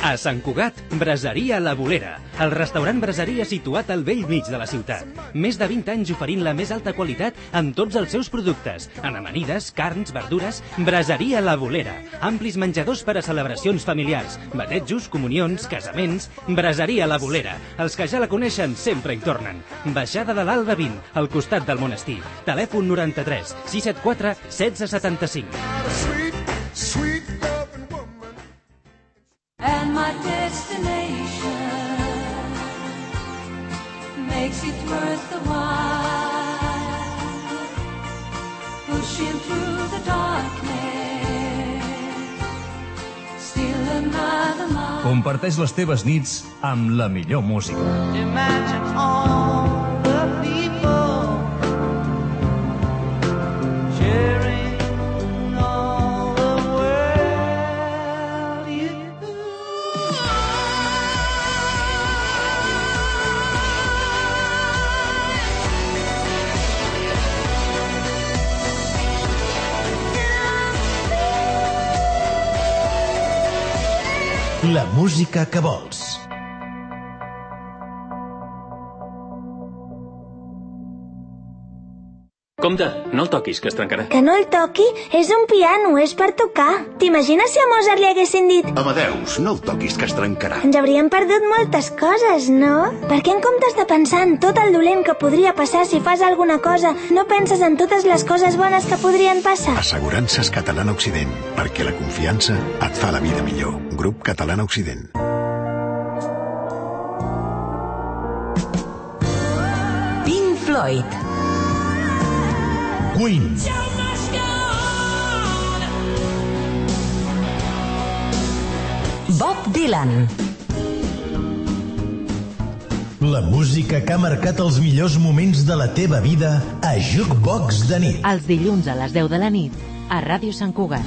A Sant Cugat, Braseria La Bolera, el restaurant braseria situat al vell mig de la ciutat. Més de 20 anys oferint la més alta qualitat en tots els seus productes, en amanides, carns, verdures. Braseria La Bolera, amplis menjadors per a celebracions familiars, batejos, comunions, casaments. Braseria La Bolera, els que ja la coneixen sempre hi tornen. Baixada de l'Alba 20, al costat del monestir. Telèfon 93 674 1675. And my destination makes it worth the while, pushing through the darkness, still another mile. Comparteix les teves nits amb la millor música. Imagine all the people sharing all the world you do. La música que vols. Compte, no el toquis, que es trencarà. Que no el toqui? És un piano, és per tocar. T'imagines si a Mozart li haguessin dit Amadeus, no el toquis, que es trencarà. ens hauríem perdut moltes coses, no? Per què en comptes de pensar en tot el dolent que podria passar si fas alguna cosa, no penses en totes les coses bones que podrien passar? Assegurances Catalana Occident, perquè la confiança et fa la vida millor. Grup Catalana Occident. Pink Floyd. Queen. Bob Dylan. La música que ha marcat els millors moments de la teva vida a Jukebox de nit. Els dilluns a les 10 de la nit a Ràdio Sant Cugat.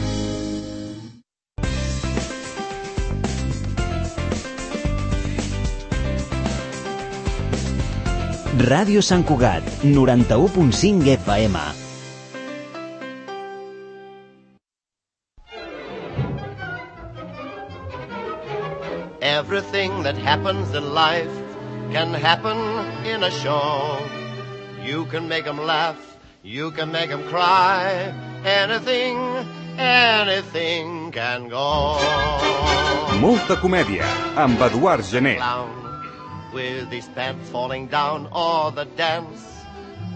Ràdio Sant Cugat, 91.5 FM. Everything that happens in life can happen in a show. You can make 'em laugh, you can make 'em cry. Anything can go. Molta comèdia, amb Eduard Gené. With his pants falling down, or the dance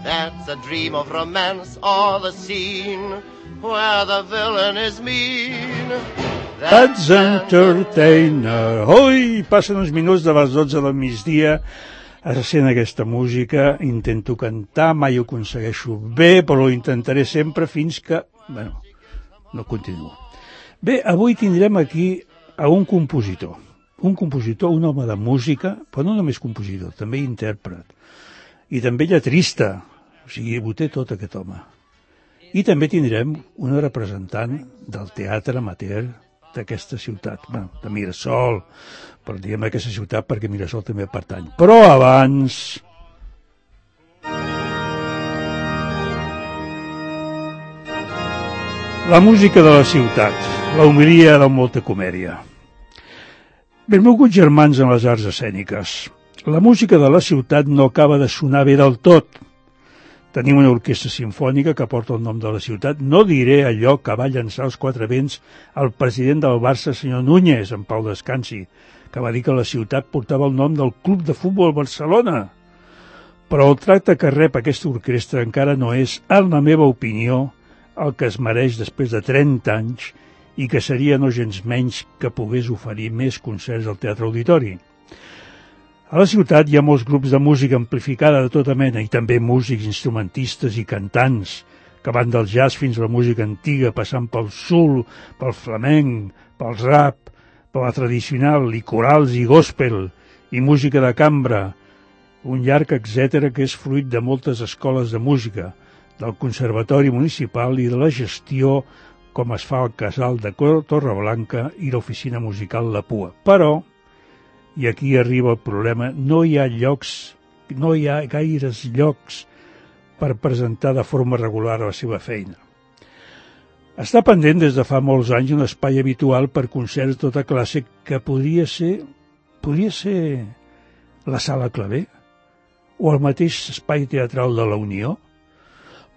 that's a dream of romance, or the scene where the villain is mean. That's Entertainer. Ui, passen uns minuts de les 12 del migdia sent aquesta música. Intento cantar, mai ho aconsegueixo bé, però ho intentaré sempre fins que, bueno, no continuo. Bé, avui tindrem aquí a un compositor, un home de música, però no només compositor, també intèrpret, i també lletrista, o sigui, ho té tot aquest home. I també tindrem una representant del teatre amateur d'aquesta ciutat, bueno, de Mirasol, però diguem aquesta ciutat perquè Mirasol també pertany. Però abans... la música de la ciutat, la homilia de molta comèdia. Benvolguts germans en les arts escèniques, la música de la ciutat no acaba de sonar bé del tot. Tenim una orquestra simfònica que porta el nom de la ciutat. No diré allò que va llançar als quatre vents el president del Barça, senyor Núñez, en pau descansi, que va dir que la ciutat portava el nom del Club de Futbol Barcelona. Però el tracte que rep aquesta orquestra encara no és, en la meva opinió, el que es mereix després de 30 anys i que seria no gens menys que pogués oferir més concerts al Teatre Auditori. A la ciutat hi ha molts grups de música amplificada de tota mena i també músics, instrumentistes i cantants, que van del jazz fins a la música antiga, passant pel soul, pel flamenc, pel rap, per la tradicional, i corals i gospel, i música de cambra, un llarg etcètera que és fruit de moltes escoles de música, del Conservatori Municipal i de la gestió com es fa al Casal de Torreblanca i l'Oficina Musical La Pua. Però, i aquí arriba el problema, no hi ha gaires llocs per presentar de forma regular la seva feina. Està pendent des de fa molts anys un espai habitual per concerts de tota classe que podria ser la Sala Clavé o el mateix espai teatral de la Unió,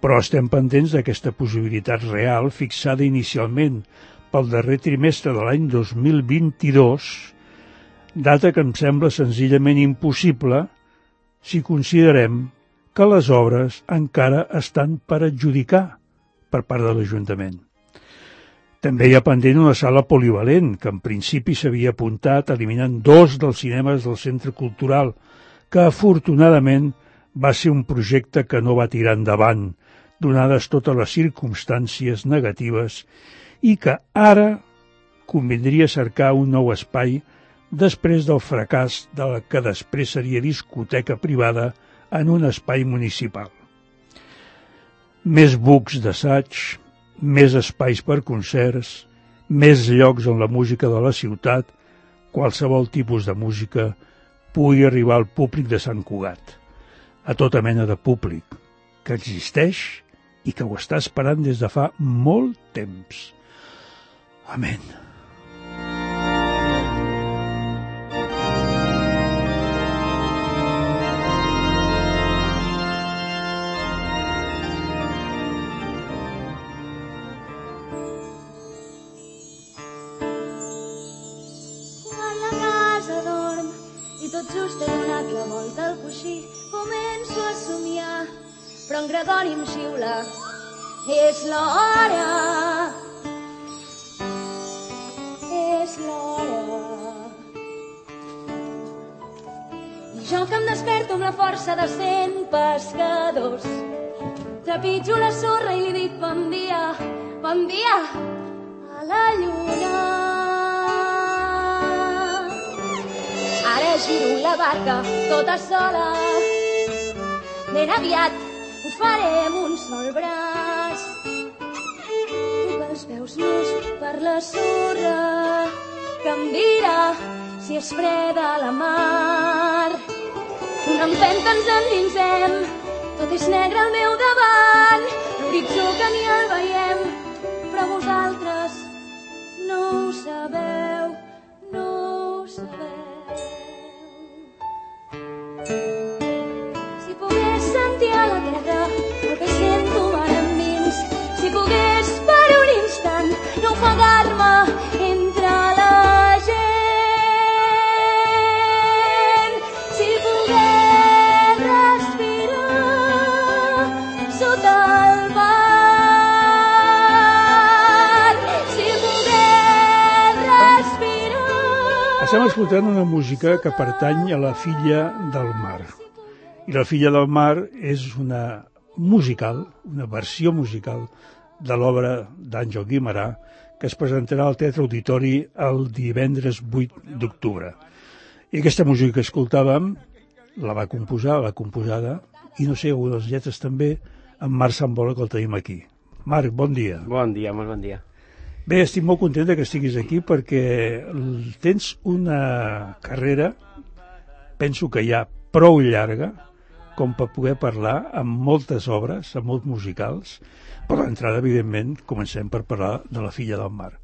però estem pendents d'aquesta possibilitat real fixada inicialment pel darrer trimestre de l'any 2022, data que em sembla senzillament impossible si considerem que les obres encara estan per adjudicar per part de l'Ajuntament. També hi ha pendent una sala polivalent, que en principi s'havia apuntat eliminant 2 dels cinemes del Centre Cultural, que afortunadament va ser un projecte que no va tirar endavant, donades totes les circumstàncies negatives, i que ara convindria cercar un nou espai després del fracàs de la que després seria discoteca privada en un espai municipal. Més bucs d'assaig, més espais per concerts, més llocs on la música de la ciutat, qualsevol tipus de música, pugui arribar al públic de Sant Cugat, a tota mena de públic, que existeix i que ho està esperant des de fa molt temps. Amén. Tot just he donat la volta al coixí, començo a somiar, però en Gregori em xiula. És l'hora, és l'hora. I jo que em desperto amb la força de 100 pescadors, trepitjo la sorra i li dic bon dia a la lluna. Ara giro la barca tota sola, ben aviat ho faré amb un sol braç. Tu que els veus nus per la sorra, que em dirà si és freda la mar. Una empenta ens endinsem, tot és negre al meu davant, l'horitzó que ni el veiem, però vosaltres no ho sabeu, no ho sabeu. Si pogués sentir a la terra el que sento ara endins, si pogués per un instant no ofegar-me entre la gent, si pogués respirar sota el mar, si pogués respirar... Estem escoltant una música que pertany a La Filla del Mar. I La Filla del Mar és una musical, una versió musical de l'obra d'Àngel Guimerà, que es presentarà al Teatre Auditori el divendres 8 d'octubre. I aquesta música que escoltàvem la va composar, l'ha composada, i no sé, algunes lletres també, en Marc Sambola, que el tenim aquí. Marc, bon dia. Bon dia, molt bon dia. Bé, estic molt content que estiguis aquí perquè tens una carrera, penso que ja prou llarga, com per poder parlar amb moltes obres, amb molts musicals, però d'entrada, evidentment, comencem per parlar de La Filla del Mar.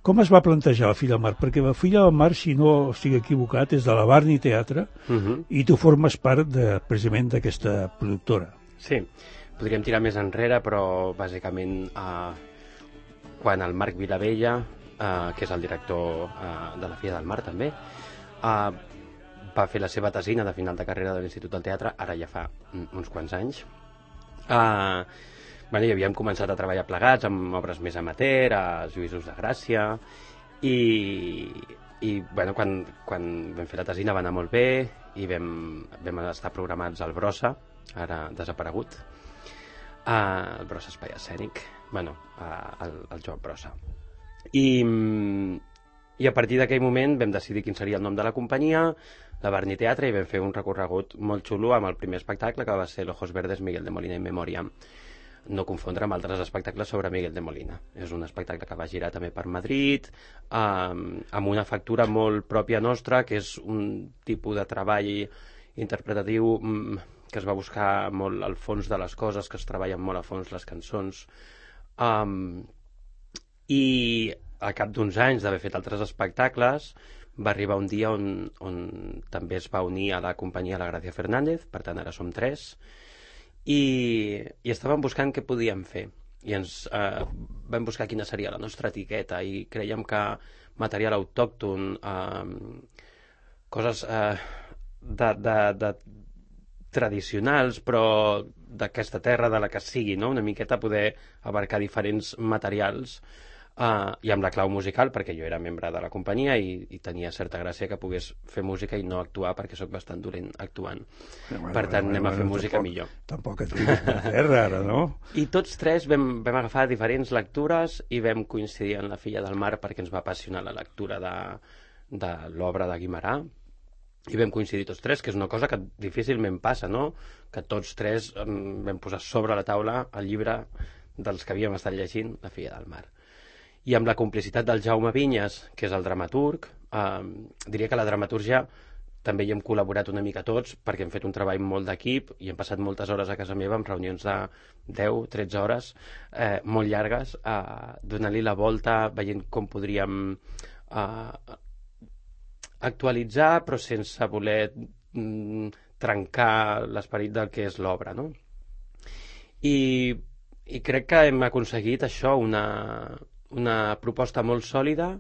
Com es va plantejar La Filla del Mar? Perquè La Filla del Mar, si no estic equivocat, és de la Barni Teatre, i tu formes part precisament d'aquesta productora. Sí, podríem tirar més enrere, però bàsicament quan el Marc Vilavella, que és el director de La Filla del Mar també, va fer la seva tesina de final de carrera de l'Institut del Teatre, ara ja fa uns quants anys. Bueno, i havíem començat a treballar plegats amb obres més amateur, a Lluïsos de Gràcia, i bueno, quan vam fer la tesina va anar molt bé i vam estar programats al Brossa, ara desaparegut, el Brossa Espai Escènic, bueno, el Joan Brossa. I a partir d'aquell moment vam decidir quin seria el nom de la companyia, la Barni Teatre, i vam fer un recorregut molt xulo amb el primer espectacle, que va ser L'Ojos Verdes, Miguel de Molina in Memoriam. No confondre amb altres espectacles sobre Miguel de Molina. És un espectacle que va girar també per Madrid, amb una factura molt pròpia nostra, que és un tipus de treball interpretatiu que es va buscar molt al fons de les coses, que es treballen molt a fons les cançons, I al cap d'uns anys d'haver fet altres espectacles va arribar un dia on també es va unir a la companyia la Gràcia Fernández, per tant ara som 3, i estàvem buscant què podíem fer. I ens vam buscar quina seria la nostra etiqueta i creiem que material autòcton, coses de tradicionals, però d'aquesta terra, de la que sigui, no? Una miqueta poder abarcar diferents materials, i amb la clau musical, perquè jo era membre de la companyia i tenia certa gràcia que pogués fer música i no actuar, perquè sóc bastant dolent actuant. Per tant, anem a fer música millor. Tampoc et fiquis per terra, ara, no? I tots 3 vam agafar diferents lectures i vam coincidir en La filla del mar perquè ens va apassionar la lectura de l'obra de Guimerà. I vam coincidir tots 3, que és una cosa que difícilment passa, no? Que tots 3 vam posar sobre la taula el llibre dels que havíem estat llegint, La filla del mar. I amb la complicitat del Jaume Vinyes, que és el dramaturg, diria que la dramatúrgia també hi hem col·laborat una mica tots, perquè hem fet un treball molt d'equip i hem passat moltes hores a casa meva amb reunions de 10-13 hores, molt llargues, donant-li la volta, veient com podríem actualitzar, però sense voler trencar l'esperit del que és l'obra, no? I crec que hem aconseguit això, una proposta molt sòlida,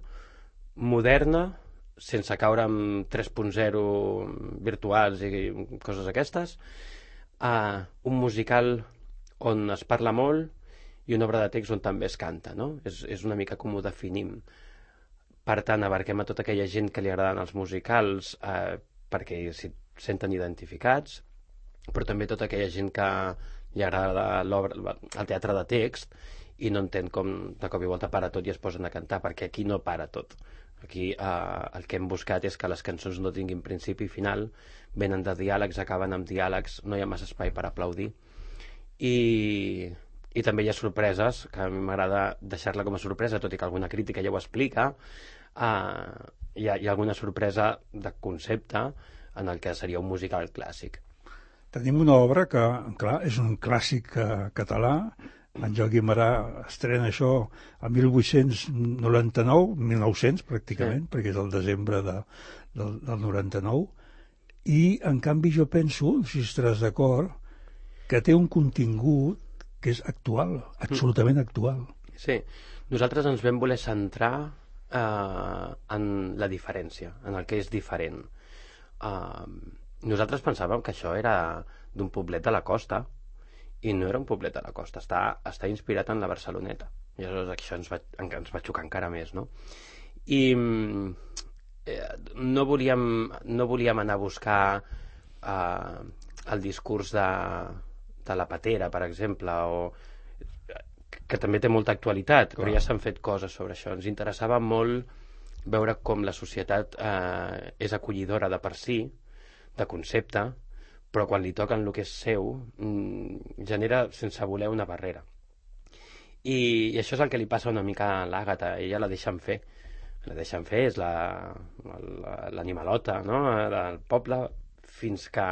moderna, sense caure en 3.0 virtuals i coses aquestes, un musical on es parla molt i una obra de text on també es canta, no? És una mica com ho definim. Per tant, abarquem a tota aquella gent que li agraden els musicals perquè s'hi senten identificats, però també tota aquella gent que li agrada el teatre de text i no entén com de cop i volta para tot i es posen a cantar, perquè aquí no para tot. Aquí el que hem buscat és que les cançons no tinguin principi i final, venen de diàlegs, acaben amb diàlegs, no hi ha massa espai per aplaudir. I també hi ha sorpreses, que a mi m'agrada deixar-la com a sorpresa, tot i que alguna crítica ja ho explica. Hi ha alguna sorpresa de concepte en el que seria un musical clàssic. Tenim una obra que, clar, és un clàssic català. En Joan Guimerà estrena això a 1899, 1900 pràcticament, perquè és el desembre del 99, i en canvi jo penso, si estaràs d'acord, que té un contingut que és actual, absolutament actual. Sí, nosaltres ens vam voler centrar en la diferència, en el que és diferent. Nosaltres pensàvem que això era d'un poblet de la costa, i no era un poblet de la costa, està inspirat en la Barceloneta. I aleshores això ens va xocar encara més, no? I no volíem anar a buscar el discurs de la patera, per exemple, que també té molta actualitat, però ja s'han fet coses sobre això. Ens interessava molt veure com la societat és acollidora de per si, de concepte, però quan li toquen el que és seu genera sense voler una barrera. I això és el que li passa una mica a l'Àgata. Ella la deixen fer. La deixen fer, és l'animalota, no?, del poble, fins que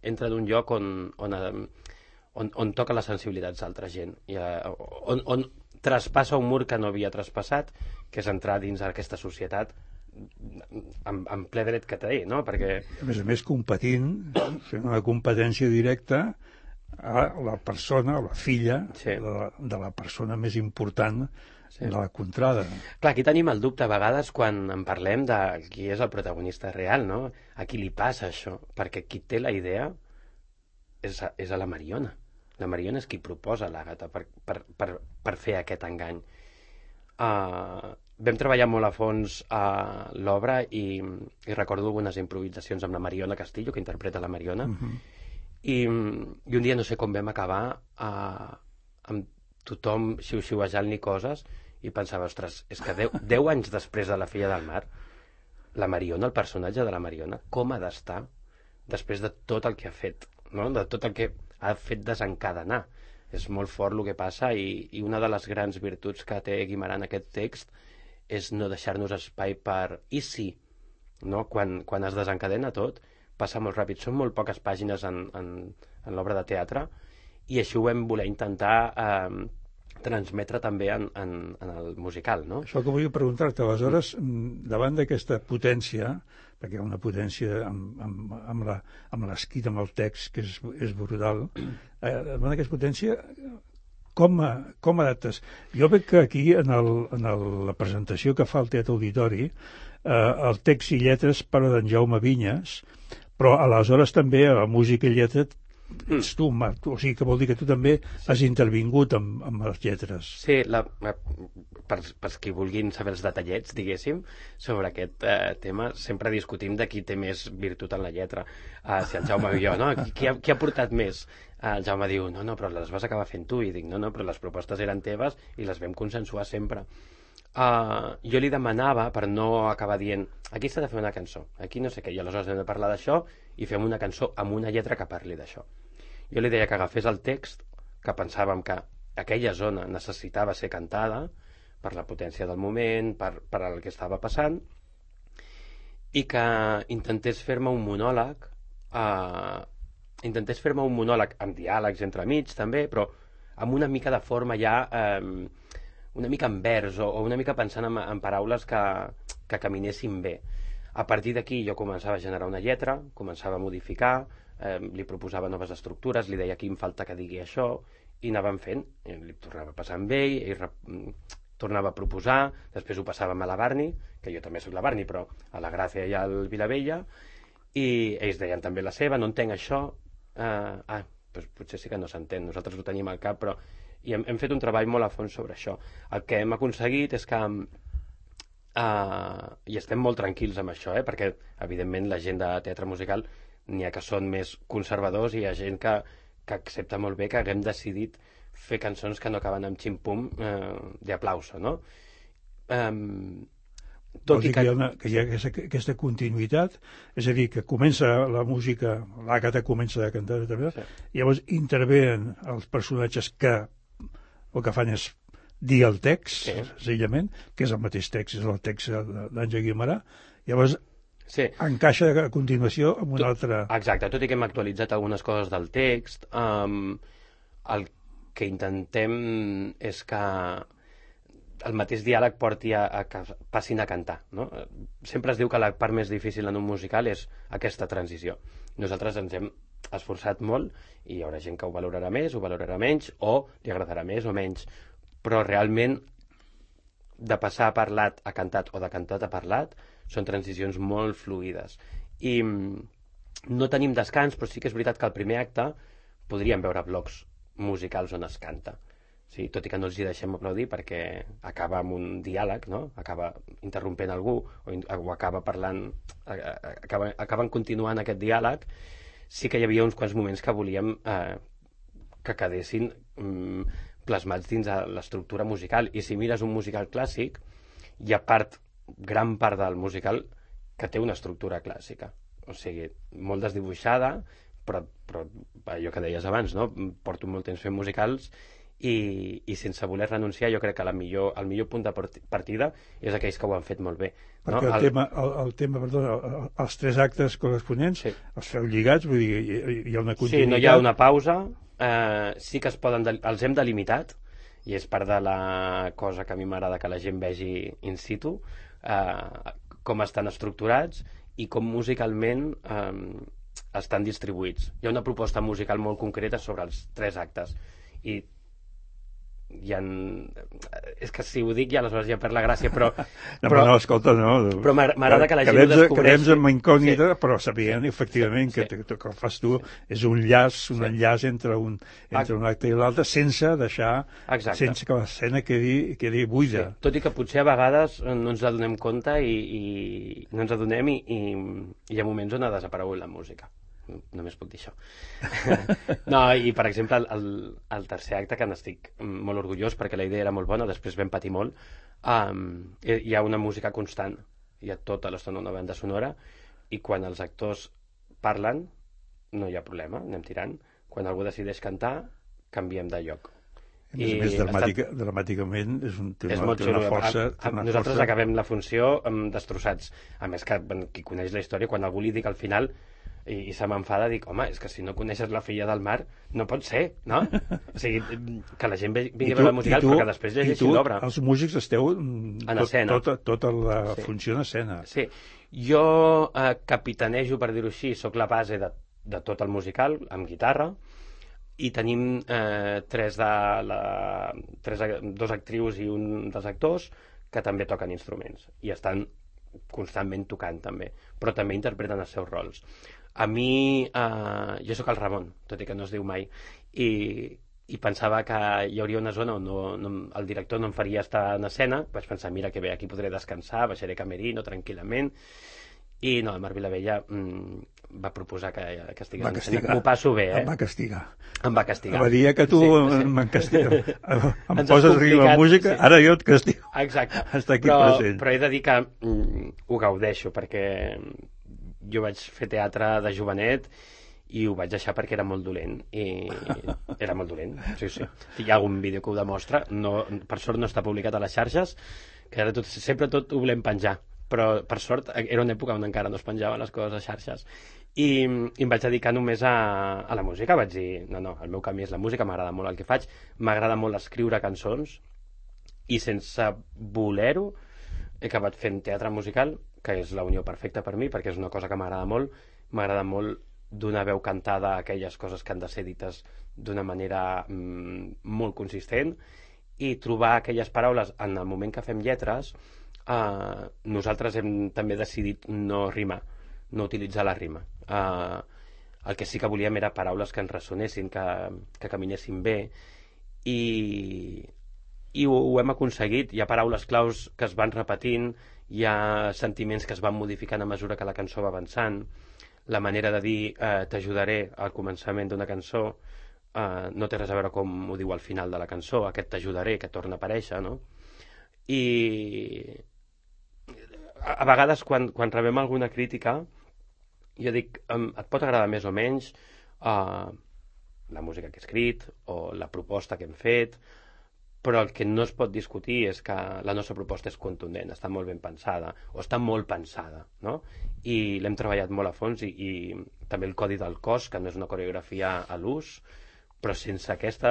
entra d'un lloc on toca les sensibilitats d'altra gent, on traspassa un mur que no havia traspassat, que és entrar dins d'aquesta societat en ple dret que té, no? Perquè... A més, competint, fent una competència directa a la persona, a la filla de la persona més important de la contrada. Clar, aquí tenim el dubte a vegades quan en parlem de qui és el protagonista real, no? A qui li passa això? Perquè qui té la idea és a la Mariona. La Mariona és qui proposa l'Àgata per fer aquest engany. Vam treballar molt a fons a l'obra i recordo algunes improvisacions amb la Mariona Castillo, que interpreta la Mariona, i un dia no sé com vam acabar amb tothom xiu-xiuejant-li coses i pensava, ostres, és que 10 anys després de La filla del mar, la Mariona, el personatge de la Mariona, com ha d'estar després de tot el que ha fet, no? De tot el que ha fet desencadenar. És molt fort el que passa i una de les grans virtuts que té Guimerà en aquest text és no deixar-nos espai per i sí, no? Quan es desencadena tot, passa molt ràpid. Són molt poques pàgines en l'obra de teatre i així ho vam voler intentar transmetre també en el musical, no? Això que volia preguntar-te, aleshores, davant d'aquesta potència, perquè hi ha una potència amb l'escrit, amb el text, que és brutal, davant d'aquesta potència, com adaptes? Jo veig que aquí, en la presentació que fa el Teatre Auditori, el text i lletres parla d'en Jaume Vinyes, però aleshores també a la música i lletra ets tu, Marc, o sigui que vol dir que tu també has intervingut amb les lletres. Sí, per qui vulguin saber els detallets, diguéssim, sobre aquest tema, sempre discutim de qui té més virtut en la lletra, si el Jaume o jo, no? Qui ha portat més? El Jaume diu, no, però les vas acabar fent tu, i dic, no, però les propostes eren teves i les vam consensuar sempre. Jo li demanava, per no acabar dient, aquí s'ha de fer una cançó, aquí no sé què, i aleshores hem de parlar d'això i fem una cançó amb una lletra que parli d'això. Jo li deia que agafés el text, que pensàvem que aquella zona necessitava ser cantada per la potència del moment, per el que estava passant, i que intentés fer-me un monòleg, amb diàlegs entremig també, però amb una mica de forma ja, una mica en vers, o una mica pensant en paraules que caminessin bé. A partir d'aquí jo començava a generar una lletra, començava a modificar, li proposava noves estructures, li deia aquí em falta que digui això, i anàvem fent, li tornava a passar amb ell tornava a proposar, després ho passàvem a la Barni, que jo també soc la Barni, però a la Gràcia i al Vilavella, i ells deien també la seva, no entenc això, doncs potser sí que no s'entén, nosaltres ho tenim al cap, però i hem fet un treball molt a fons sobre això. El que hem aconseguit és que i estem molt tranquils amb això, perquè evidentment la gent de teatre musical n'hi ha que són més conservadors i hi ha gent que accepta molt bé que haguem decidit fer cançons que no acaben amb xim-pum d'aplauso, no? Tot i que hi ha aquesta continuïtat, és a dir, que comença la música, l'Àgata comença a cantar, llavors intervenen els personatges que el que fan és dir el text, senzillament, que és el mateix text, és el text d'Àngel Guimerà, llavors encaixa a continuació amb una altra... Exacte, tot i que hem actualitzat algunes coses del text, el que intentem és que el mateix diàleg porti a que passin a cantar, no? Sempre es diu que la part més difícil en un musical és aquesta transició. Nosaltres ens hem esforçat molt i hi haurà gent que ho valorarà més, ho valorarà menys, o li agradarà més o menys, però realment de passar a parlat a cantat o de cantat a parlat són transicions molt fluides. I no tenim descans, però sí que és veritat que al primer acte podríem veure blocs musicals on es canta. Sí, tot i que no els hi deixem aplaudir perquè acaba amb un diàleg, no? Acaba interrompent algú o acaba parlant, acaben continuant aquest diàleg. Sí que hi havia uns quants moments que volíem que quedessin plasmats dins de l'estructura musical. I si mires un musical clàssic, hi ha gran part del musical que té una estructura clàssica. O sigui, molt desdibuixada, però allò que deies abans, no? Porto molt temps fent musicals i sense voler renunciar, jo crec que el millor punt de partida és aquells que ho han fet molt bé. Perquè el tema, els tres actes corresponents els feu lligats, vull dir, hi ha una continuïtat. Sí, no hi ha una pausa, sí que els hem delimitat, i és part de la cosa que a mi m'agrada que la gent vegi in situ, com estan estructurats i com musicalment estan distribuïts. Hi ha una proposta musical molt concreta sobre els tres actes i és que si ho dic ja aleshores ja perd la gràcia, però escolta, no, però m'agrada que la gent ho descobreixi. Quedem amb incògnita, però sabien efectivament que el que fas tu és un enllaç entre un acte i l'altre, sense que l'escena quedi buida. Tot i que potser a vegades no ens adonem compte i no ens adonem i hi ha moments on ha desaparegut la música. Només puc dir això. No, i per exemple el tercer acte, que n'estic molt orgullós perquè la idea era molt bona, després vam patir molt, hi ha una música constant, hi ha tota l'estona una banda sonora, i quan els actors parlen no hi ha problema, anem tirant. Quan algú decideix cantar, canviem de lloc. A més, dramàticament és una força... Nosaltres acabem la funció destrossats. A més que qui coneix la història, quan algú li dic al final I se m'enfada, dic, home, és que si no coneixes La filla del mar, no pot ser, no? O sigui, que la gent vingui a veure el musical, però que després llegeixi l'obra. Els músics esteu en escena. Tota la funció en escena. Sí. Jo capitanejo, per dir-ho així, sóc la base de tot el musical, amb guitarra, i tenim dos actrius i un dels actors que també toquen instruments, i estan constantment tocant també, però també interpreten els seus rols. A mi, jo sóc el Ramon, tot i que no es diu mai, i pensava que hi hauria una zona on el director no em faria estar en escena. Vaig pensar, mira que bé, aquí podré descansar, baixaré camerino tranquil·lament, i no, el Marc Vilavella va proposar que estigués en escena. M'ho passo bé, Em va castigar. Em va castigar. Va dir que tu em poses la música, ara jo et castigo. Exacte. Està aquí present. Però he de dir que ho gaudeixo, perquè jo vaig fer teatre de jovenet i ho vaig deixar perquè era molt dolent. I era molt dolent, sí. Hi ha algun vídeo que ho demostra, per sort no està publicat a les xarxes, que ara sempre tot ho volem penjar, però per sort era una època on encara no es penjaven les coses a xarxes, i em vaig dedicar només a la música. Vaig dir, no, el meu camí és la música, m'agrada molt el que faig, m'agrada molt escriure cançons, i sense voler-ho he acabat fent teatre musical, que és la unió perfecta per mi, perquè és una cosa que m'agrada molt donar veu cantada a aquelles coses que han de ser dites d'una manera molt consistent, i trobar aquelles paraules. En el moment que fem lletres, nosaltres hem també decidit no rimar, no utilitzar la rima. El que sí que volíem era paraules que ens ressonessin, que caminessin bé, i ho hem aconseguit. Hi ha paraules claus que es van repetint, hi ha sentiments que es van modificant a mesura que la cançó va avançant. La manera de dir t'ajudaré al començament d'una cançó no té res a veure com ho diu al final de la cançó, aquest t'ajudaré que torna a aparèixer, no? I a vegades quan rebem alguna crítica, jo dic, et pot agradar més o menys la música que he escrit o la proposta que hem fet, però el que no es pot discutir és que la nostra proposta és contundent, està molt ben pensada, o està molt pensada, no? I l'hem treballat molt a fons, i també el codi del cos, que no és una coreografia a l'ús, però sense aquest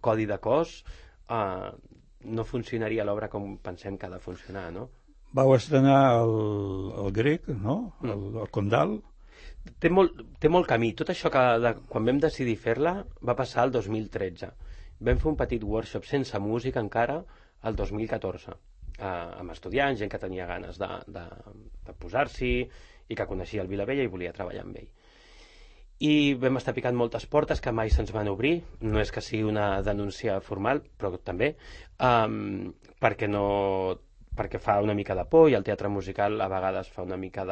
codi de cos no funcionaria l'obra com pensem que ha de funcionar, no? Vau estrenar el grec, no? El Condal. Té molt camí. Tot això que quan vam decidir fer-la va passar el 2013. Vam fer un petit workshop sense música encara el 2014, amb estudiants, gent que tenia ganes de posar-s'hi i que coneixia el Vilavella i volia treballar amb ell. I vam estar picant moltes portes que mai se'ns van obrir. No és que sigui una denúncia formal, però també perquè fa una mica de por, i el teatre musical a vegades fa una mica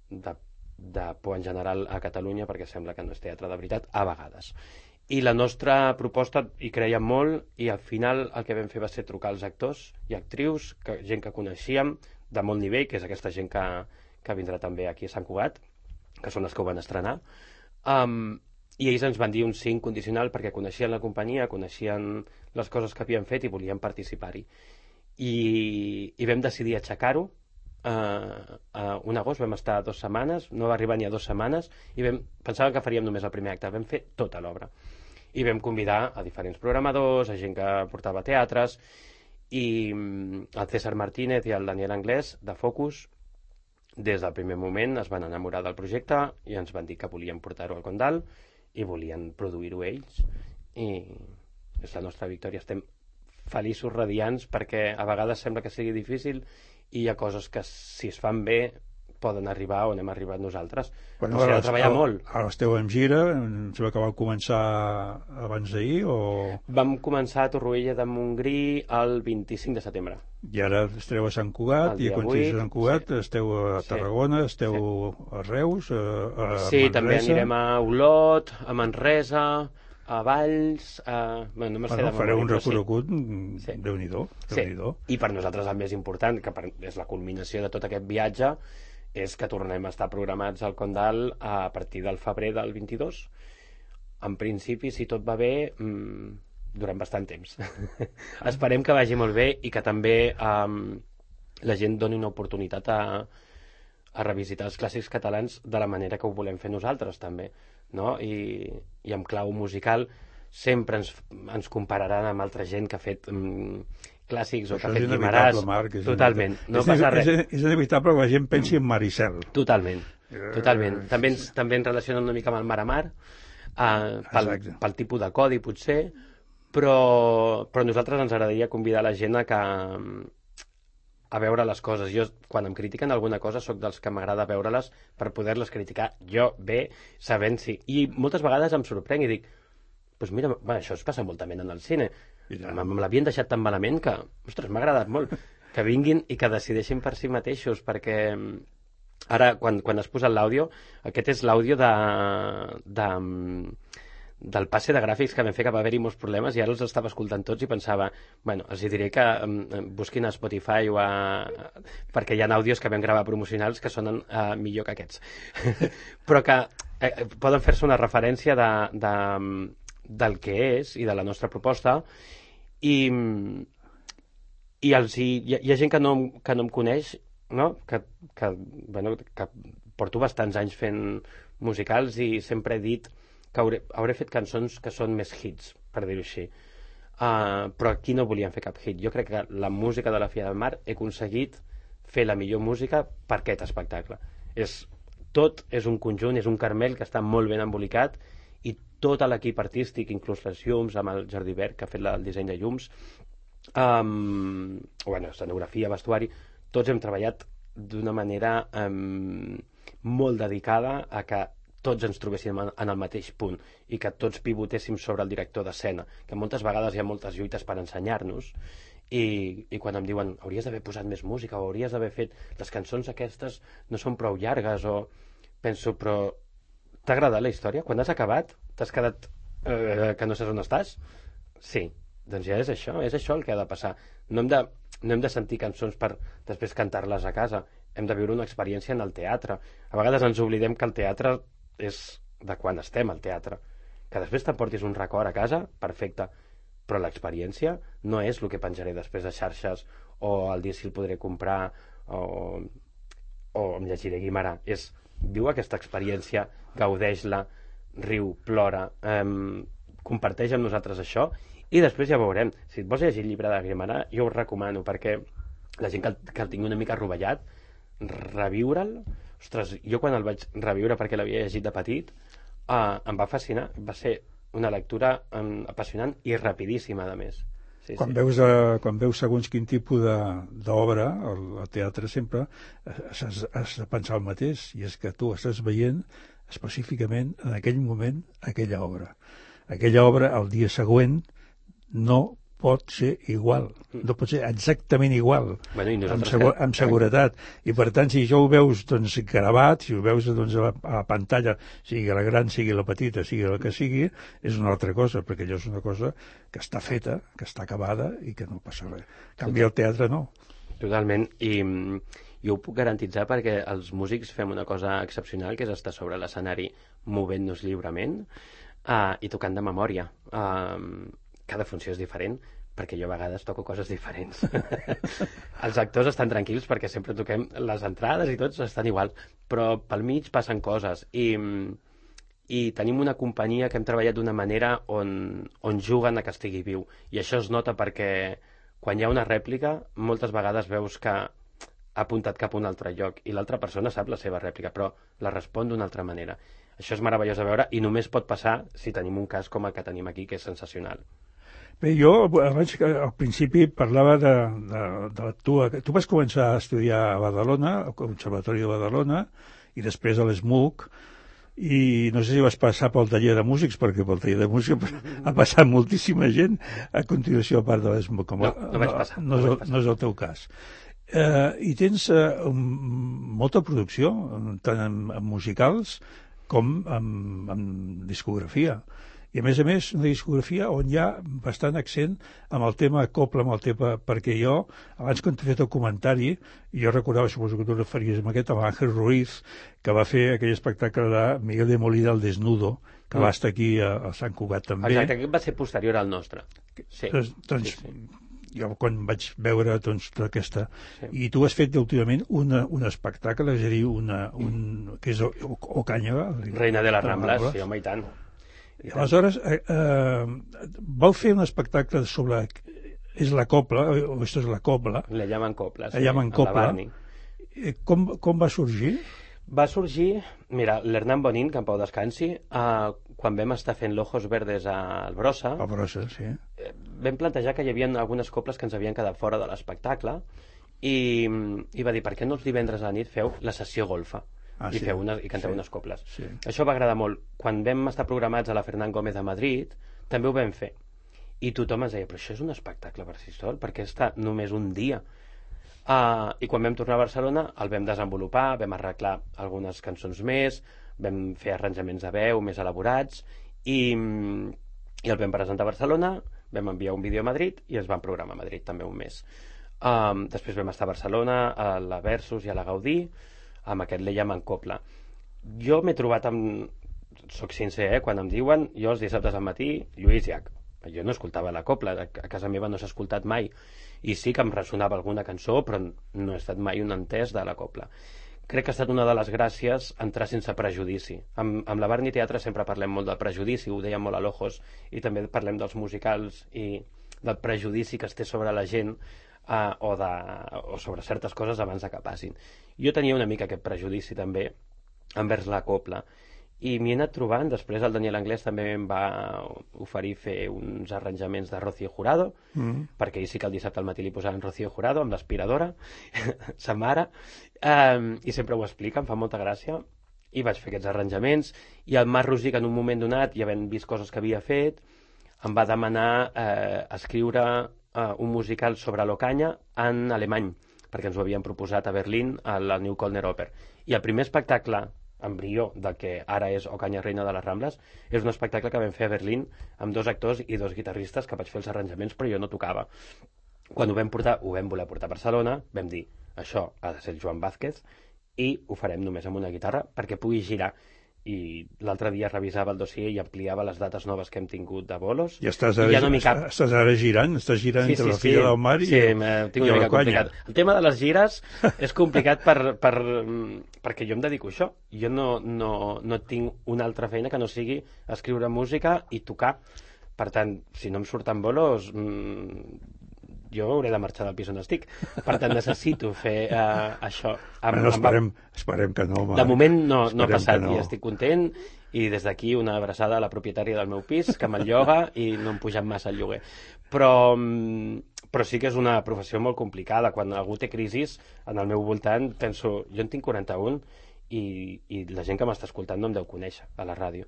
de por en general a Catalunya, perquè sembla que no és teatre de veritat, a vegades. I la nostra proposta hi creiem molt, i al final el que vam fer va ser trucar als actors i actrius, gent que coneixíem de molt nivell, que és aquesta gent que vindrà també aquí a Sant Cugat, que són els que ho van estrenar, i ells ens van dir un sí incondicional perquè coneixien la companyia, coneixien les coses que havien fet i volien participar-hi. I vam decidir aixecar-ho un agost. Vam estar 2 setmanes, no va arribar ni a 2 setmanes, i pensàvem que faríem només el primer acte. Vam fer tota l'obra i vam convidar a diferents programadors, a gent que portava teatres, i el César Martínez i el Daniel Anglès de Focus des del primer moment es van enamorar del projecte i ens van dir que volien portar-ho al Condal i volien produir-ho ells, i és la nostra victòria. Estem feliços, radiants, perquè a vegades sembla que sigui difícil i hi ha coses que si es fan bé poden arribar on hem arribat nosaltres. Bueno, s'ha de treballar molt. Ara esteu en gira, em sembla que vau començar abans d'ahir, o...? Vam començar a Torroella de Montgrí el 25 de setembre. I ara esteu a Sant Cugat, i quan esteu a Sant Cugat esteu a Tarragona, esteu a Reus, a sí, Manresa... també anirem a Olot, a Manresa, a Valls... Bueno, no bueno, fareu un recorregut, sí. Déu-n'hi-do. Sí. I per nosaltres el més important, que és la culminació de tot aquest viatge, és que tornem a estar programats al Condal a partir del febrer del 22. En principi, si tot va bé, durant bastant temps. Esperem que vagi molt bé i que també la gent doni una oportunitat a revisitar els clàssics catalans de la manera que ho volem fer nosaltres, també, no? I en clau musical sempre ens compararan amb altra gent que ha fet clàssics o que ha fet Guimaràs. Totalment. No passa res. És inevitable que la gent pensi en Maricel. Totalment. També ens relacionen una mica amb el Mar a Mar, pel tipus de codi, potser, però a nosaltres ens agradaria convidar la gent a veure les coses. Jo, quan em critiquen alguna cosa, sóc dels que m'agrada veure-les per poder-les criticar jo bé, sabent si... I moltes vegades em sorprenc i dic, doncs mira, això es passa moltament en el cine. Me l'havien deixat tan malament que, ostres, m'ha agradat molt que vinguin i que decideixin per si mateixos, perquè ara, quan has posat l'àudio, aquest és l'àudio del passe de gràfics que vam fer, que va haver-hi molts problemes, i ara els estava escoltant tots i pensava, bueno, els diré que busquin a Spotify perquè hi ha àudios que vam gravar promocionals que sonen millor que aquests. Però que poden fer-se una referència del que és i de la nostra proposta, i hi ha gent que no em coneix, no? Que porto bastants anys fent musicals i sempre he dit que hauré fet cançons que són més hits, per dir-ho així. Però aquí no volíem fer cap hit. Jo crec que la música de la Fira del Mar he aconseguit fer la millor música per aquest espectacle. Tot és un conjunt, és un carmel que està molt ben embolicat, i tot l'equip artístic, inclús les llums, amb el Jordi Berg, que ha fet el disseny de llums, escenografia, vestuari, tots hem treballat d'una manera molt dedicada a que tots ens trobéssim en el mateix punt i que tots pivotéssim sobre el director d'escena, que moltes vegades hi ha moltes lluites per ensenyar-nos, i quan em diuen hauries d'haver posat més música o hauries d'haver fet les cançons aquestes no són prou llargues, o penso, però t'ha agradat la història? Quan has acabat t'has quedat que no saps on estàs? Sí, doncs ja és això el que ha de passar. No hem de sentir cançons per després cantar-les a casa, hem de viure una experiència en el teatre. A vegades ens oblidem que el teatre és de quan estem al teatre. Que després t'emportis un record a casa, perfecte, però l'experiència no és el que penjaré després de xarxes o el dia si el podré comprar o em llegiré Guimarà. Viu aquesta experiència, gaudeix-la, riu, plora, comparteix amb nosaltres això, i després ja veurem. Si et vols llegir el llibre de Guimarà, jo ho recomano, perquè la gent que el tingui una mica rovellat, reviure'l. Ostres, jo quan el vaig reviure perquè l'havia llegit de petit, em va fascinar. Va ser una lectura apassionant i rapidíssima, a més. Quan veus segons quin tipus d'obra, al teatre sempre has de pensar el mateix, i és que tu estàs veient específicament en aquell moment aquella obra. Aquella obra, el dia següent, no pot ser igual, no pot ser exactament igual, amb seguretat. I per tant, si jo ho veus gravat, si ho veus a la pantalla, sigui la gran, sigui la petita, sigui la que sigui, és una altra cosa, perquè allò és una cosa que està feta, que està acabada i que no passa res. En canvi, el teatre no. Totalment, i jo ho puc garantitzar perquè els músics fem una cosa excepcional, que és estar sobre l'escenari movent-nos lliurement i tocant de memòria. Cada funció és diferent, perquè jo a vegades toco coses diferents. Els actors estan tranquils perquè sempre toquem les entrades i tots estan igual, però pel mig passen coses, i tenim una companyia que hem treballat d'una manera on juguen a que estigui viu, i això es nota perquè quan hi ha una rèplica moltes vegades veus que ha apuntat cap a un altre lloc i l'altra persona sap la seva rèplica, però la respon d'una altra manera. Això és meravellós de veure, i només pot passar si tenim un cas com el que tenim aquí, que és sensacional. Bé, jo abans, al principi, parlava de tu vas començar a estudiar a Badalona, al Conservatori de Badalona, i després a l'ESMUC, i no sé si vas passar pel taller de músics, perquè pel taller de músics ha passat moltíssima gent a continuació a part de l'ESMUC. No vaig passar. No és el teu cas. I tens molta producció, tant en musicals com en discografia. I a més, una discografia on hi ha bastant accent amb el tema copla, amb el tema, perquè jo, abans quan t'he fet el comentari, jo recordava, suposo que tu referies amb aquest, amb Ángel Ruiz, que va fer aquell espectacle de Miguel de Molina, El Desnudo, que va estar aquí a Sant Cugat també. Exacte, aquest va ser posterior al nostre. Sí. Doncs jo quan vaig veure doncs, tota aquesta... I tu has fet últimament un espectacle, és a dir, que és Ocaña. Reina de les Rambles, sí, home, i tant. I aleshores, vau fer un espectacle sobre... És la copla, o esto es la copla. Le llaman copla, sí. Le llaman copla. Com va sorgir? Va sorgir, mira, l'Hernán Bonín, que en pau descansi, quan vam estar fent l'Ojos Verdes al Brossa, sí. Vam plantejar que hi havia algunes coples que ens havien quedat fora de l'espectacle i va dir, per què no els divendres a la nit feu la sessió golfa i canteu unes coples. Sí. Això va agradar molt. Quan vam estar programats a la Fernán Gómez de Madrid, també ho vam fer. I tothom ens deia, però això és un espectacle per si sol, perquè està només un dia. I quan vam tornar a Barcelona el vam desenvolupar, vam arreglar algunes cançons més, vam fer arranjaments de veu més elaborats i el vam presentar a Barcelona, vam enviar un vídeo a Madrid i es van programar a Madrid també un mes. Després vam estar a Barcelona, a la Versus i a la Gaudí, amb aquest Le llaman copla. Jo m'he trobat amb... Soc sincer, quan em diuen, jo els dissabtes al matí, Lluís Llach. Jo no escoltava la copla, a casa meva no s'ha escoltat mai, i sí que em ressonava alguna cançó, però no he estat mai un entès de la copla. Crec que ha estat una de les gràcies entrar sense prejudici. Amb la Barni Teatre sempre parlem molt del prejudici, ho dèiem molt a l'Ojos, i també parlem dels musicals i del prejudici que es té sobre la gent o sobre certes coses abans que passin. Jo tenia una mica aquest prejudici també envers la copla, i m'hi he anat trobant. Després el Daniel Anglès també em va oferir fer uns arranjaments de Rocío Jurado, perquè ell sí que el dissabte al matí li posaven Rocío Jurado amb l'aspiradora, sa mare, i sempre ho explica, em fa molta gràcia, i vaig fer aquests arranjaments, i el Marc Rosic en un moment donat, ja havent vist coses que havia fet, em va demanar escriure un musical sobre l'Ocaña en alemany, perquè ens ho havien proposat a Berlín, a la New Kölner Oper. I el primer espectacle embrió del que ara és Ocaña Reina de les Rambles és un espectacle que vam fer a Berlín amb 2 actors i 2 guitarristes que vaig fer els arranjaments, però jo no tocava. Quan ho vam voler portar a Barcelona, vam dir, això ha de ser el Joan Vázquez i ho farem només amb una guitarra perquè pugui girar. I l'altre dia revisava el dossier i ampliava les dates noves que hem tingut de bolos. I estàs ara girant? Estàs girant entre la Filla del Mar i tinc una mica complicat. El tema de les gires és complicat perquè jo em dedico a això. Jo no tinc una altra feina que no sigui escriure música i tocar. Per tant, si no em surten bolos, jo hauré de marxar del pis on estic. Per tant, necessito fer això. Esperem que no. De moment no ha passat i estic content, i des d'aquí una abraçada a la propietària del meu pis, que me'l lloga i no em pugen massa el lloguer. Però sí que és una professió molt complicada. Quan algú té crisis, en el meu voltant, penso, jo en tinc 41 i la gent que m'està escoltant no em deu conèixer a la ràdio.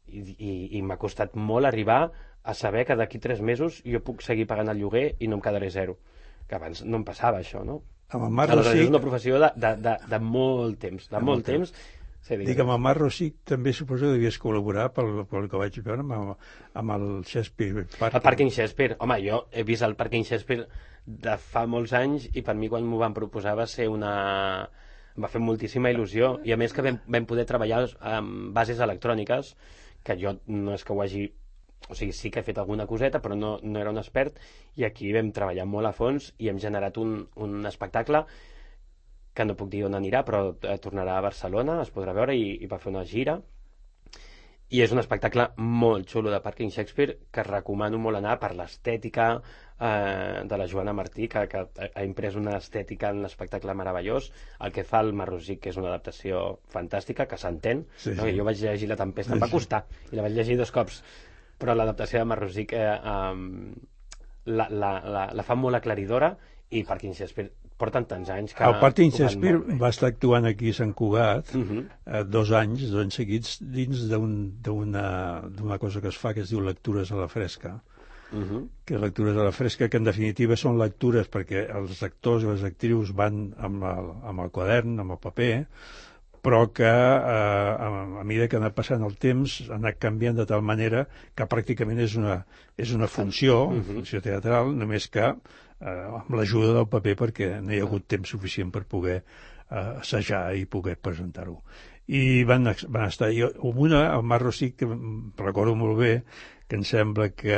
I m'ha costat molt arribar a saber que d'aquí 3 mesos jo puc seguir pagant el lloguer i no em quedaré zero, que abans no em passava això, no? Aleshores és una professió de molt temps, temps. Dic, amb el Marc Rosic també suposo que devies col·laborar pel que vaig veure amb el Shakespeare Parking. El Parking Shakespeare, home, jo he vist el Parking Shakespeare de fa molts anys i per mi quan m'ho van proposar va fer moltíssima il·lusió, i a més que vam poder treballar amb bases electròniques, que jo no és que ho hagi... O sigui, sí que he fet alguna coseta, però no era un expert, i aquí vam treballar molt a fons i hem generat un espectacle que no puc dir on anirà, però tornarà a Barcelona, es podrà veure, i va fer una gira. I és un espectacle molt xulo de Parking Shakespeare que recomano molt anar per l'estètica de la Joana Martí, que ha imprès una estètica en l'espectacle meravellós. El que fa el Marc Rosic, que és una adaptació fantàstica, que s'entén. Sí. Jo vaig llegir La Tempesta, em va costar, i la vaig llegir 2 cops. Però l'adaptació de Marc Rosic la fa molt aclaridora, i Parking Shakespeare porten tants anys que... El Parking Shakespeare va estar actuant aquí a Sant Cugat 2 anys seguits dins d'una cosa que es fa que es diu lectures a la fresca, que lectures a la fresca, que en definitiva són lectures perquè els actors i les actrius van amb el quadern, amb el paper, però que a mesura que ha anat passant el temps ha anat canviant de tal manera que pràcticament és una funció teatral, només que amb l'ajuda del paper, perquè no hi ha hagut temps suficient per poder assajar i poder presentar-ho. I van estar... El Marc Rosic, recordo molt bé, que em sembla que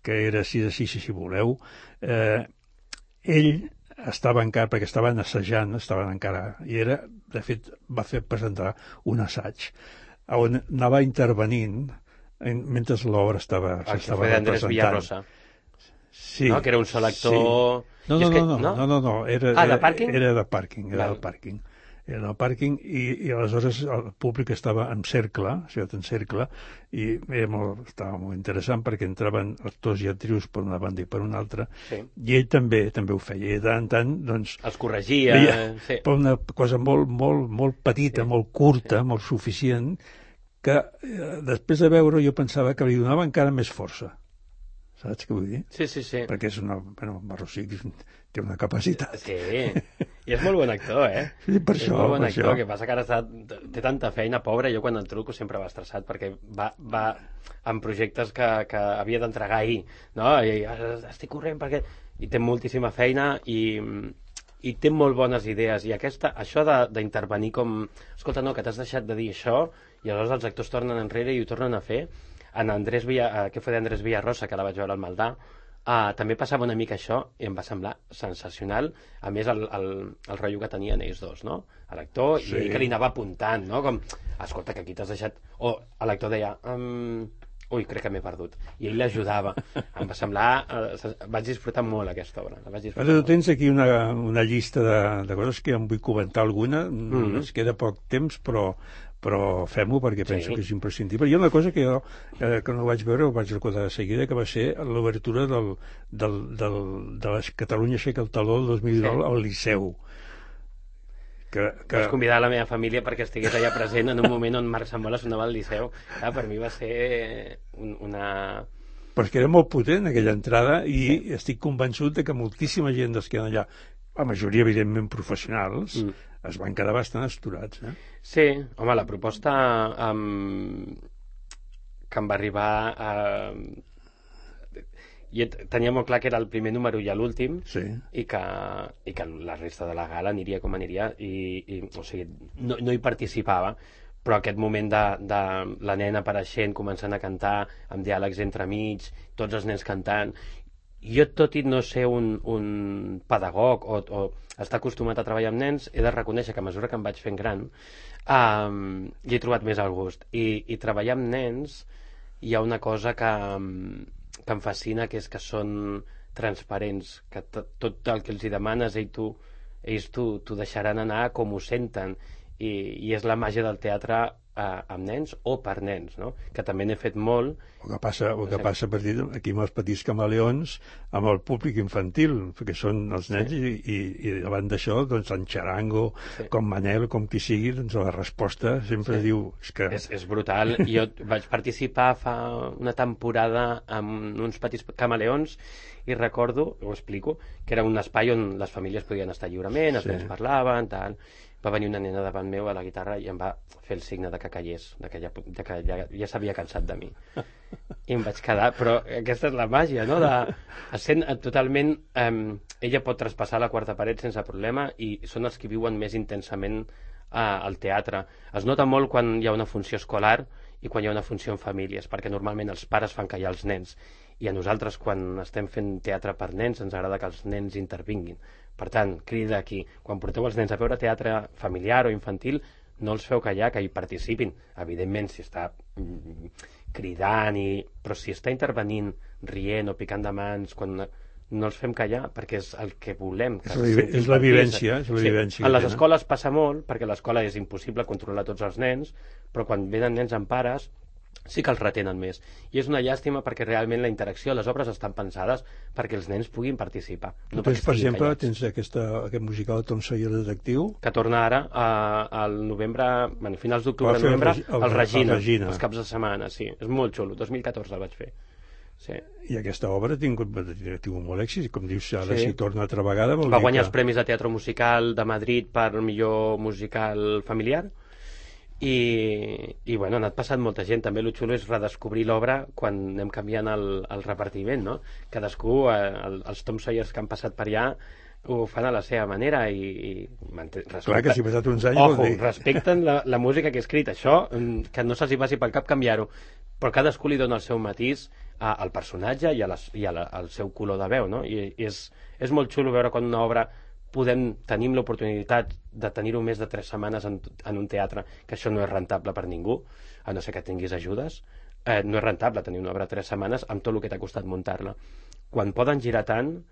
que era 6-6, si voleu, ell estava encara, perquè estaven assajant, estaven encara, i era, de fet, va fer presentar un assaig on anava intervenint mentre l'obra s'estava representant. Andrés Villarrosa. Sí. No, que era un sol actor... Sí. No, era de pàrquing? Era de pàrquing, era del pàrquing. Era del pàrquing i aleshores el públic estava en cercle, en cercle, i estava molt interessant perquè entraven actors i actrius per una banda i per una altra, i ell també ho feia, i de tant en tant, doncs... Els corregia. Per una cosa molt petita, molt curta, molt suficient, que després de veure jo pensava que li donava encara més força. Saps què vull dir? Sí. Perquè és Marrossí té una capacitat. Sí, i és molt bon actor, Sí, per això. És molt bon actor, que passa que ara té tanta feina, pobre, jo quan el truco sempre va estressat, perquè va amb projectes que havia d'entregar ahir, no? I estic corrent perquè... I té moltíssima feina i té molt bones idees, i això d'intervenir com... Escolta, no, que t'has deixat de dir això, i aleshores els actors tornen enrere i ho tornen a fer. En que fue d'Andrés Villarrosa, que la vaig veure al Maldà, també passava una mica això i em va semblar sensacional, a més el rotllo que tenien ells dos, no? L'actor, i ell que li anava apuntant, no? Com, escolta, que aquí t'has deixat... O l'actor deia, ui, crec que m'he perdut, i ell l'ajudava. Em va semblar... vaig disfrutar molt aquesta obra. Tu tens aquí una llista de coses que em vull comentar alguna, ens queda poc temps, però fem-ho perquè penso que és imprescindible. Hi ha una cosa que jo, que no vaig veure, ho vaig recordar de seguida, que va ser l'obertura de la Catalunya aixeca el taló el 2019 al Liceu. Vaig convidar la meva família perquè estigués allà present en un moment on Marc Sambola sonava al Liceu. Per mi va ser una... Però és que era molt potent aquella entrada i estic convençut que moltíssima gent dels que eren allà, la majoria evidentment professionals, es van quedar bastant asturats. Sí, home, la proposta que em va arribar jo tenia molt clar que era el primer número i l'últim, i que la resta de la gala aniria com aniria, o sigui, no hi participava, però aquest moment de la nena apareixent, començant a cantar amb diàlegs entremig, tots els nens cantant, jo, tot i no ser un pedagog o estar acostumat a treballar amb nens, he de reconèixer que a mesura que em vaig fent gran hi he trobat més el gust, i treballar amb nens hi ha una cosa que em fascina, que és que són transparents, que tot el que els hi demanes ells t'ho deixaran anar com ho senten, i és la màgia del teatre amb nens o per nens, no? Que també n'he fet molt. El que passa per dir, aquí amb els petits camaleons, amb el públic infantil, perquè són els nens, i davant d'això, doncs, en Charango, com Manel, com qui sigui, doncs la resposta sempre diu... És brutal. Jo vaig participar fa una temporada amb uns petits camaleons i recordo, ho explico, que era un espai on les famílies podien estar lliurement, els nens parlaven, tal... Va venir una nena davant meu a la guitarra i em va fer el signe de que callés, que ja s'havia cansat de mi. I em vaig quedar, però aquesta és la màgia, no? Sent totalment... ella pot traspassar la quarta paret sense problema i són els que viuen més intensament al teatre. Es nota molt quan hi ha una funció escolar i quan hi ha una funció en famílies, perquè normalment els pares fan callar els nens, i a nosaltres, quan estem fent teatre per nens, ens agrada que els nens intervinguin. Per tant, crida aquí, quan porteu els nens a veure teatre familiar o infantil, no els feu callar, que hi participin. Evidentment, si està cridant, però si està intervenint, rient o picant de mans, quan no els fem callar, perquè és el que volem. És la vivència. En les escoles passa molt, perquè a l'escola és impossible controlar tots els nens, però quan venen nens amb pares, sí que els retenen més. I és una llàstima perquè realment la interacció, les obres estan pensades perquè els nens puguin participar. Tu tens, per exemple, aquest musical Tom Sawyer Detectiu? Que torna ara al novembre, finals d'octubre, novembre, al Regina, els caps de setmana, sí. És molt xulo, 2014 el vaig fer. Sí. I aquesta obra ha tingut molt èxit, com dius, ara si torna altra vegada... Va guanyar els Premis de Teatre Musical de Madrid per millor musical familiar, i bueno, ha anat passant molta gent. També el xulo és redescobrir l'obra quan anem canviant el repartiment, no? Cadascú, els Tom Sawyers que han passat per allà ho fan a la seva manera i clar que si ha passat uns anys respecten la música que he escrit, això que no se'ls hi passi pel cap canviar-ho, però cadascú li dona el seu matís al personatge i al seu color de veu, no? I és molt xulo veure quan una obra tenim l'oportunitat de tenir-ho més de 3 setmanes en un teatre, que això no és rentable per ningú, a no ser que tinguis ajudes. No és rentable tenir una obra 3 setmanes amb tot el que t'ha costat muntar-la. Quan poden girar tant,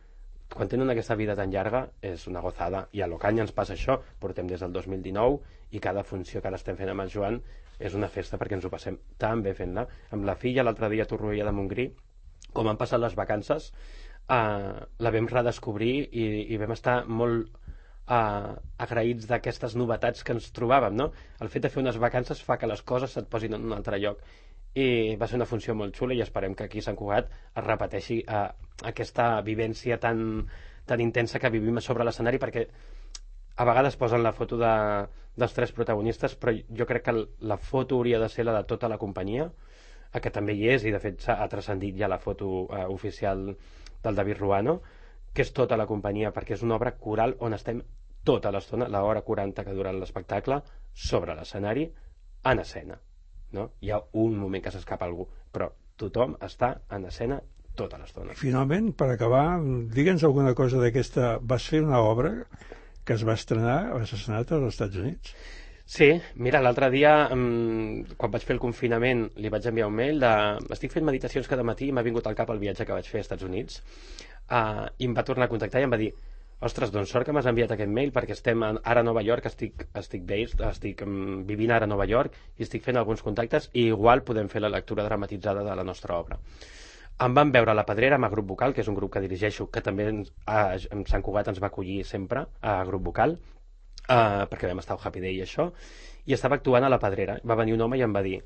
quan tenen aquesta vida tan llarga, és una gozada. I a l'Ocaña ens passa això, portem des del 2019 i cada funció que ara estem fent amb el Joan és una festa perquè ens ho passem tan bé fent-la. Amb la filla, l'altre dia a Torroella de Montgrí, com han passat les vacances, la vam redescobrir i vam estar molt agraïts d'aquestes novetats que ens trobàvem, no? El fet de fer unes vacances fa que les coses se't posin en un altre lloc, i va ser una funció molt xula i esperem que aquí a Sant Cugat es repeteixi aquesta vivència tan intensa que vivim a sobre l'escenari, perquè a vegades posen la foto dels 3 protagonistes, però jo crec que la foto hauria de ser la de tota la companyia, que també hi és, i de fet ha transcendit ja la foto oficial del David Ruano, que és tota la companyia, perquè és una obra coral on estem tota l'estona, l'hora 40 que dura l'espectacle, sobre l'escenari, en escena, no? Hi ha un moment que s'escapa algú, però tothom està en escena tota l'estona. Finalment, per acabar, digue'ns alguna cosa d'aquesta... Vas fer una obra que es va estrenar, vas estrenar als Estats Units? Sí, mira, l'altre dia, quan vaig fer el confinament, li vaig enviar un mail estic fent meditacions cada matí i m'ha vingut al cap el viatge que vaig fer als Estats Units, i em va tornar a contactar i em va dir: ostres, doncs sort que m'has enviat aquest mail, perquè estem ara a Nova York, estic vivint ara a Nova York i estic fent alguns contactes i igual podem fer la lectura dramatitzada de la nostra obra. Em van veure a La Pedrera amb el Grup Vocal, que és un grup que dirigeixo, que també en Sant Cugat ens va acollir sempre a Grup Vocal, perquè vam estar al Happy Day i això, i estava actuant a La Pedrera. Va venir un home i em va dir: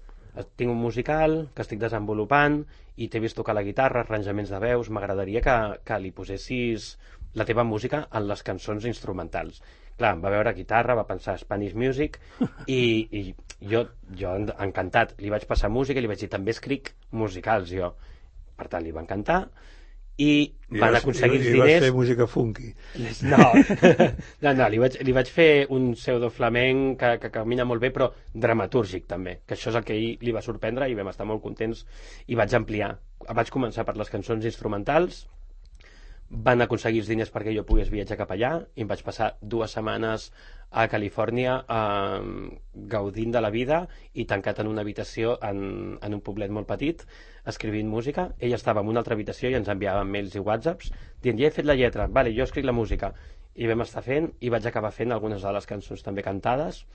tinc un musical que estic desenvolupant i t'he vist tocar la guitarra, arranjaments de veus, m'agradaria que li posessis la teva música en les cançons instrumentals. Clar, em va veure guitarra, va pensar Spanish Music i jo encantat, li vaig passar música i li vaig dir: també escric musicals jo. Per tant, li va encantar i van aconseguir els diners. I vas fer música funky. No, li vaig fer un pseudo flamenc que camina molt bé, però dramatúrgic també, que això és el que li va sorprendre i vam estar molt contents i vaig ampliar. Vaig començar per les cançons instrumentals, van aconseguir els diners perquè jo pogués viatjar cap allà i em vaig passar 2 setmanes a Califòrnia gaudint de la vida i tancat en una habitació en un poblet molt petit escrivint música. Ell estava en una altra habitació i ens enviava mails i whatsapps dient: ja he fet la lletra, vale, jo escric la música, i vam estar fent i vaig acabar fent algunes de les cançons també cantades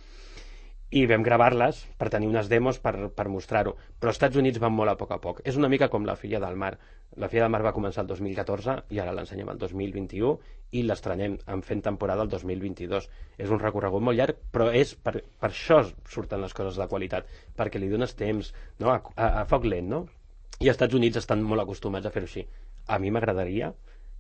i vam gravar-les per tenir unes demos per mostrar-ho, però als Estats Units van molt a poc. És una mica com La Filla del Mar. La Filla del Mar va començar el 2014 i ara l'ensenyem el 2021 i l'estrenem fent temporada el 2022. És un recorregut molt llarg, però per això surten les coses de qualitat, perquè li dones temps, no? a foc lent, no? I als Estats Units estan molt acostumats a fer-ho així. A mi m'agradaria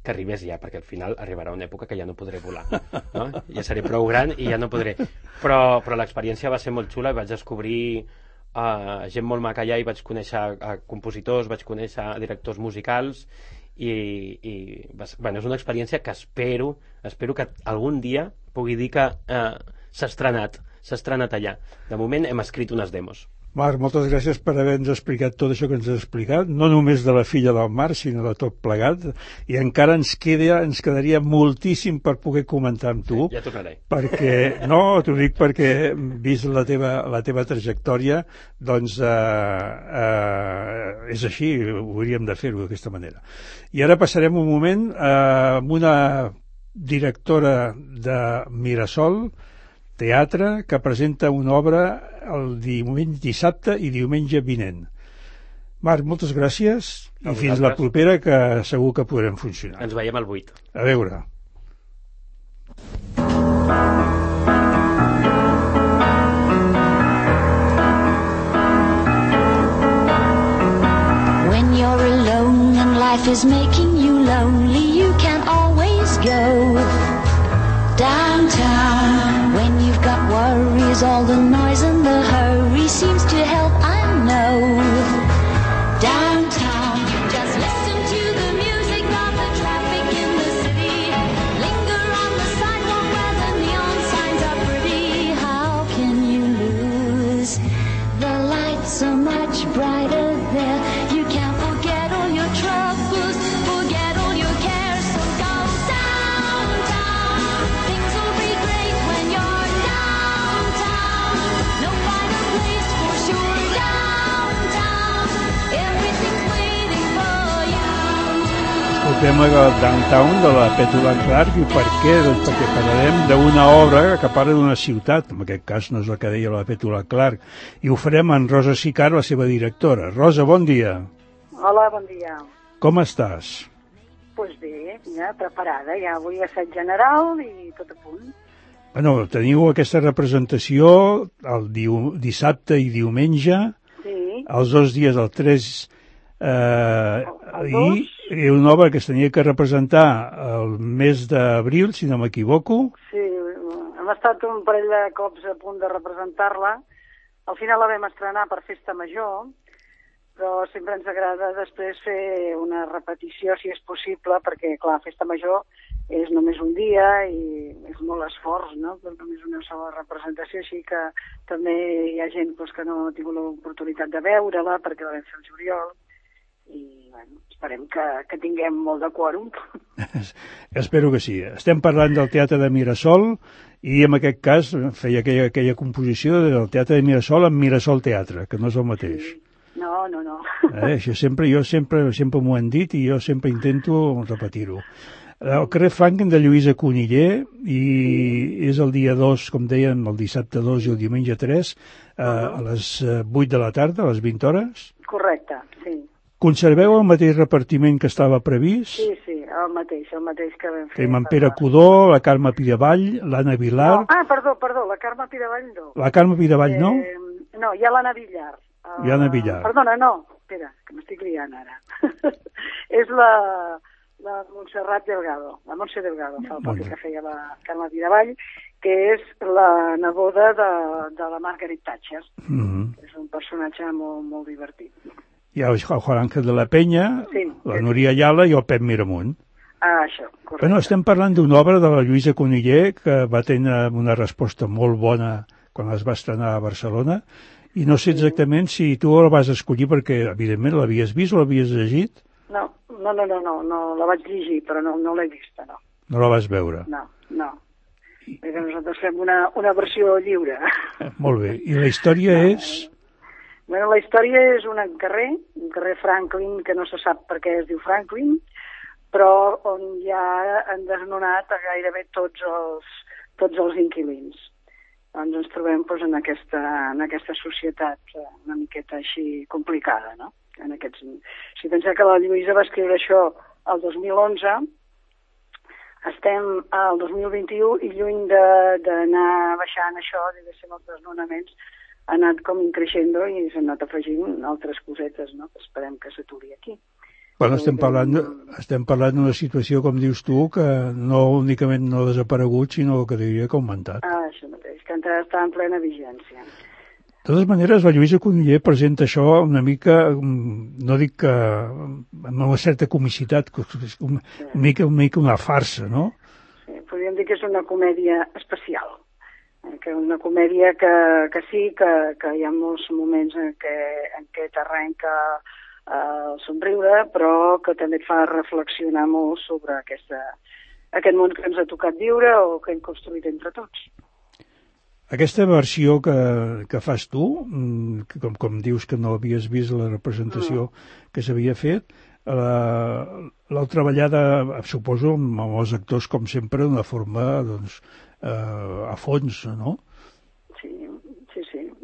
que arribés ja, perquè al final arribarà una època que ja no podré volar, no? Ja seré prou gran i ja no podré. Però l'experiència va ser molt xula i vaig descobrir gent molt maca allà i vaig conèixer compositors, vaig conèixer directors musicals i bueno, és una experiència que espero que algun dia pugui dir que s'ha estrenat allà. De moment hem escrit unes demos. Marc, moltes gràcies per haver-nos explicat tot això que ens has explicat, no només de La Filla del Mar, sinó de tot plegat, i encara ens quedaria moltíssim per poder comentar amb tu. Ja tornaré. Perquè, no, t'ho dic perquè, vist la teva trajectòria, doncs és així, hauríem de fer-ho d'aquesta manera. I ara passarem un moment amb una directora de Mirasol, teatre, que presenta una obra el dissabte i diumenge vinent. Marc, moltes gràcies i fins la propera, que segur que podrem funcionar. Ens veiem al 8. A veure. When you're alone and life is making you lonely, you can always go downtown. When you've got worries, all the noise and the hurry seems to help, I know. Downtown, just listen to the music, not the traffic in the city. Linger on the sidewalk where the neon signs are pretty. How can you lose? The lights are much brighter there. You can't forget tema del Downtown de la Petula Clark. I per què? Doncs perquè parlarem d'una obra que parla d'una ciutat, en aquest cas no és la que deia la Petula Clark, i ho farem amb Rosa Sicar, la seva directora. Rosa, bon dia. Hola, bon dia. Com estàs? Doncs bé, ja preparada, ja avui assaig general i tot a punt. Bueno, teniu aquesta representació el dissabte i diumenge, Sí. els 2 dies, el 3 i una obra que es tenia que representar el mes d'abril, si no m'equivoco. Sí, hem estat un parell de cops a punt de representar-la. Al final la vam estrenar per Festa Major, però sempre ens agrada després fer una repetició, si és possible, perquè, clar, Festa Major és només un dia i és molt esforç, no?, però només una sola representació, així que també hi ha gent doncs, que no ha tingut l'oportunitat de veure-la perquè la vam fer al juliol i, bueno, esperem que tinguem molt de quòrum. Espero que sí. Estem parlant del Teatre de Mirasol i en aquest cas feia aquella composició del Teatre de Mirasol amb Mirasol Teatre, que no és el mateix. Sí. No. Això jo sempre m'ho han dit i jo sempre intento repetir-ho. El carrer Franklin de Lluïsa Cuniller i és el dia 2, com dèiem, el dissabte 2 i el diumenge 3 a les 8 de la tarda, a les 20 hores. Correcte, sí. Conserveu el mateix repartiment que estava previst? Sí, el mateix que vam fer. Tenim en Pere Codó, la Carme Piravall, l'Anna Vilar... Perdó, la Carme Piravall no. La Carme Piravall no? No, hi ha l'Anna Villar. L'Anna Villar. Perdona, no, espera, que m'estic liant ara. És la Montserrat Delgado, la Montse Delgado, fa el paper que feia la Carme Piravall, que és la neboda de la Margaret Thatcher. És un personatge molt divertit. Hi ha el Juan Ángel de la Penya, sí, la Núria Ayala i el Pep Miramunt. Això, correcte. Bueno, estem parlant d'una obra de la Lluïsa Cuniller que va tenir una resposta molt bona quan es va estrenar a Barcelona i no sé exactament si tu la vas escollir perquè, evidentment, l'havies vist o l'havies llegit? No, la vaig llegir, però no l'he vista, no. No la vas veure? No. Perquè nosaltres fem una versió lliure. Molt bé. I la història és... Bueno, la història és un carrer Franklin, que no se sap per què es diu Franklin, però on ja han desnonat a gairebé tots els inquilins. Doncs ens trobem en aquesta societat una miqueta així complicada, no? Si penseu que la Lluïsa va escriure això el 2011, estem al 2021 i lluny d'anar baixant això, diguéssim, els desnonaments, ha anat com creixent i s'han anat afegint altres cosetes, no?, que esperem que s'aturi aquí. Bueno, estem parlant d'una situació, com dius tu, que no únicament no ha desaparegut, sinó que diria que ha augmentat. Això mateix, que encara està en plena vigència. De totes maneres, la Lluïsa Cuniller presenta això una mica, no dic que amb una certa comicitat, una mica una farsa, no? Sí, podríem dir que és una comèdia especial. Que una comèdia que sí, que hi ha molts moments en què t'arrenca el somriure, però que també et fa reflexionar molt sobre aquest món que ens ha tocat viure o que hem construït entre tots. Aquesta versió que fas tu, com dius que no havies vist la representació que s'havia fet, l'heu treballada, suposo, amb els actors, com sempre, d'una forma, doncs, a fons, no? Sí.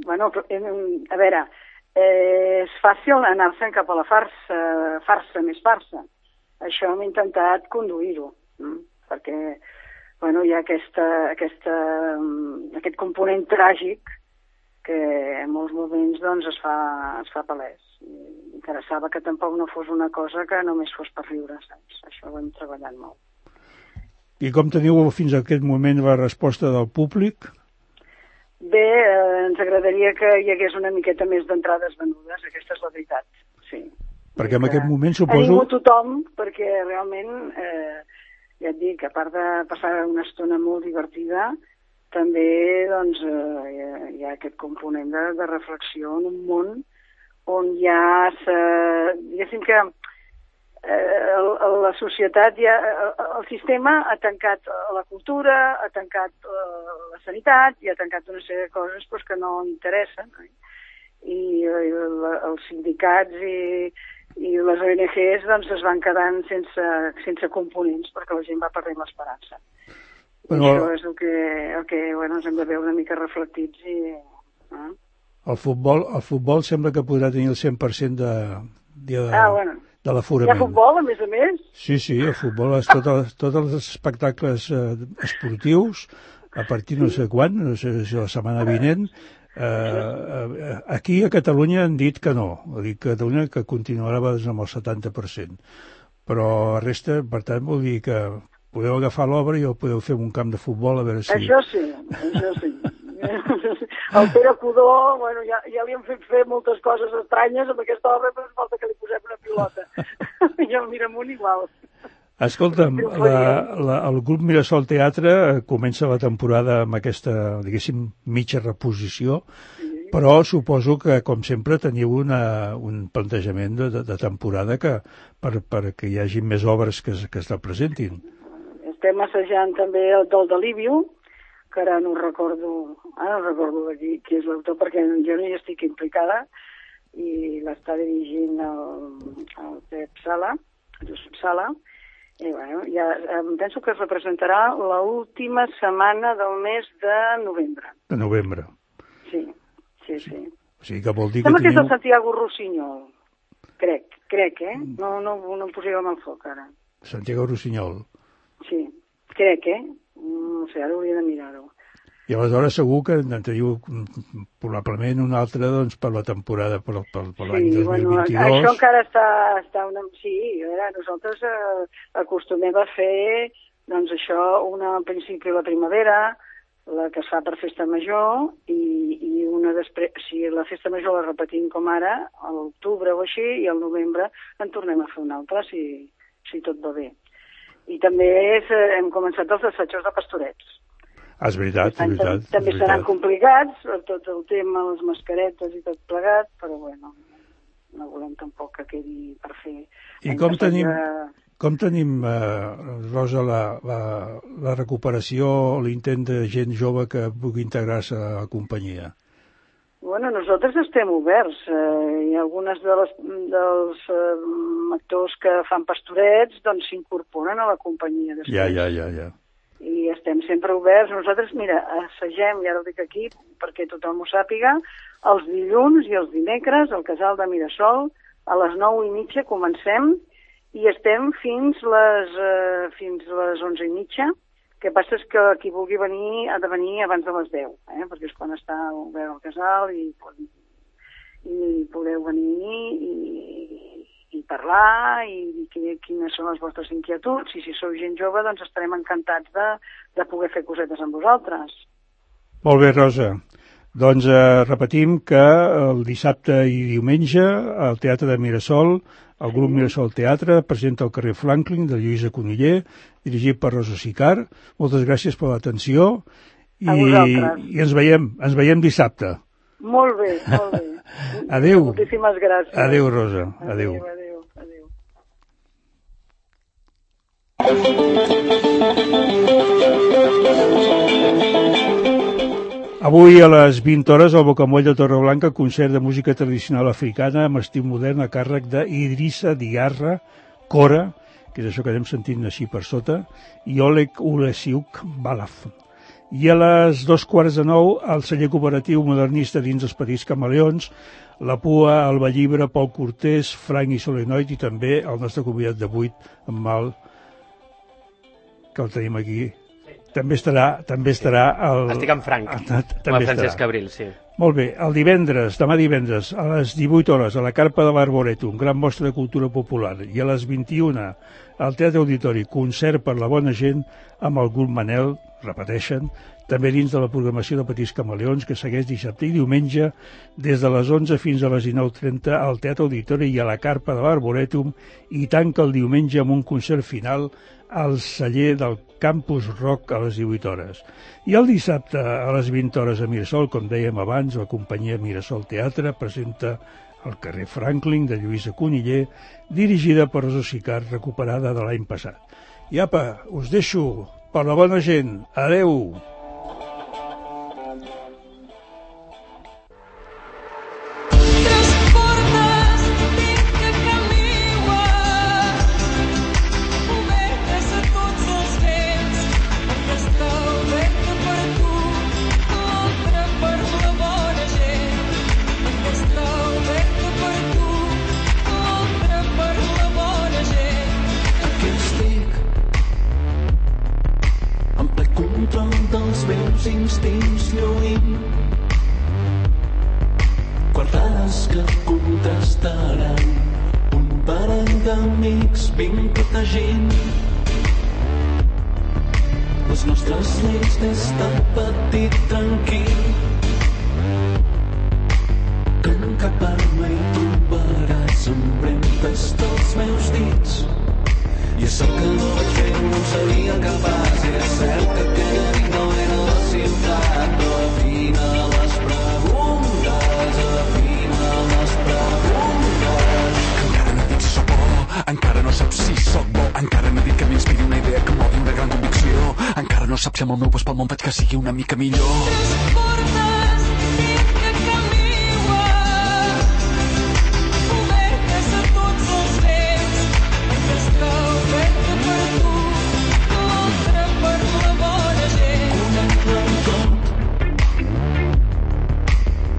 Bueno, a veure, és fàcil anar-se'n cap a la farsa més farsa. Això hem intentat conduir-ho, perquè, bueno, hi ha aquest component tràgic que en molts moments doncs es fa palès. Interessava que tampoc no fos una cosa que només fos per riure, saps? Això ho hem treballat molt. I com teniu fins a aquest moment la resposta del públic? Bé, ens agradaria que hi hagués una miqueta més d'entrades venudes, aquesta és la veritat, sí. Perquè en aquest moment suposo... Animo tothom, perquè realment, ja et dic, a part de passar una estona molt divertida, també doncs, hi ha aquest component de reflexió en un món on ja diguéssim que la societat, el sistema ha tancat la cultura, ha tancat la sanitat i ha tancat una sèrie de coses que no interessen. I els sindicats I les ONGs doncs, es van quedant sense components perquè la gent va perdent l'esperança. Bueno, això és el que ens hem de veure una mica reflectits i... El futbol sembla que podrà tenir el 100% de l'aforament. Hi ha futbol, a més? Sí, el futbol és tots els espectacles esportius, a partir no sé quan, no sé si la setmana vinent. Aquí a Catalunya han dit que no, ha dit Catalunya que continuarà amb el 70%, però la resta, per tant, vol dir que podeu agafar l'obra i podeu fer un camp de futbol a veure si... Això sí. El Pere Codó, ja li han fet fer moltes coses estranyes amb aquesta obra, però falta que li posem una pilota. I el Miramunt igual. Escolta'm, el grup Mirasol Teatre comença la temporada amb aquesta, diguéssim, mitja reposició, però suposo que, com sempre, teniu un plantejament de temporada perquè hi hagi més obres que es representin. Estem assajant també el del Delíbio, que ara no recordo qui és l'autor, perquè jo no hi estic implicada, i l'està dirigint el Pep Sala, Josep Sala, i ja penso que es representarà l'última setmana del mes de novembre. De novembre. Sí. O sigui que vol dir sembla que és el Santiago Rossinyol, crec, No em posarem al foc, ara. Santiago Rossinyol. Sí, crec, no sé, ara hauria de mirar-ho. I aleshores segur que en teniu probablement un altre doncs, per la temporada, per l'any 2022. Això encara està una... Sí, nosaltres acostumem a fer doncs això, una al principi la primavera, la que es fa per festa major, i una després, si la festa major la repetim com ara, a l'octubre o així, i al novembre en tornem a fer una altra, si tot va bé. I també hem començat els assajos de Pastorets. És veritat. També seran complicats, tot el tema, les mascaretes i tot plegat, però no volem tampoc que quedi per fer. I com tenim, Rosa, la recuperació, l'intent de gent jove que pugui integrar-se a la companyia? Nosaltres estem oberts. Hi ha algunes dels actors que fan Pastorets doncs s'incorporen a la companyia després. Ja. I estem sempre oberts. Nosaltres, mira, assagem, i ara ho dic aquí perquè tothom ho sàpiga, els dilluns i els dimecres al Casal de Mirasol, a les 9:30 comencem i estem fins les 11:30. El que passa és que qui vulgui venir ha de venir abans de les 10, perquè és quan està obert el casal i podeu venir i parlar i dir quines són les vostres inquietuds, i si sou gent jove doncs estarem encantats de poder fer cosetes amb vosaltres. Molt bé, Rosa. Doncs repetim que el dissabte i diumenge al Teatre de Mirasol, el grup Mirasol Teatre presenta el carrer Franklin de Lluïsa Cuniller, dirigit per Rosa Sicart. Moltes gràcies per l'atenció i ens veiem dissabte. Molt bé. Adéu. Moltíssimes gràcies. Adéu, Rosa. Adéu. Avui a les 20 hores al Bocamoll de Torreblanca, concert de música tradicional africana amb estil modern a càrrec d'Idrissa Diarra, Cora, que és això que anem sentint així per sota, i Oleg Ulesiuk Balaf. I a les 8:45 al celler cooperatiu modernista dins els Petits Camaleons, la Pua, el Vallibre, Pol Cortés, Frank i Solenoid, i també el nostre convidat d'avui, en Mal, que el tenim aquí. També estarà el... Estic amb Frank, amb el Francesc Cabril, sí. Molt bé, demà divendres, a les 18 hores, a la Carpa de l'Arboretum, gran mostra de cultura popular, i a les 21 al Teatre Auditori, concert per la bona gent amb el grup Manel, repeteixen, també dins de la programació de Petits Camaleons, que segueix dissabte i diumenge, des de les 11 fins a les 19:30 al Teatre Auditori i a la Carpa de l'Arboretum, i tanca el diumenge amb un concert final al celler del Campus Rock a les 18 hores. I el dissabte a les 20 hores a Mirasol, com dèiem abans, la companyia Mirasol Teatre presenta el carrer Franklin de Lluïsa Cuniller, dirigida per Rosa Sicart, recuperada de l'any passat. I apa, us deixo per la bona gent. Adeu! Transportes, tinc que caminar. control dels meus instints lluint. Quartades que contrastaran un parell d'amics vinc protegint les nostres lleis des de petit tranquil. Que en cap arma hi trobaràs empremtes dels meus dits. I és cert que no vaig fer, no seria capaç. I és cert que aquella nit no era la ciutat, però afina les preguntes, afina les preguntes. Encara no dic si sóc bo, encara no saps si sóc bo, encara no dic que m'inspiri una idea que modi una gran convicció, encara no saps si amb el meu pas pel món faig que sigui una mica millor.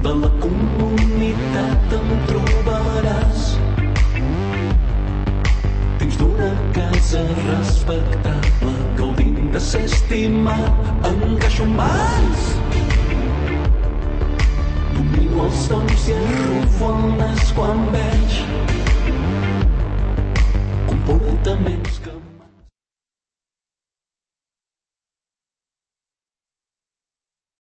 De la comunitat em trobaràs dins d'una casa respectable, gaudint de ser estimat, encaixo en mans. Domino els tons i arrufo el nas quan veig comportaments que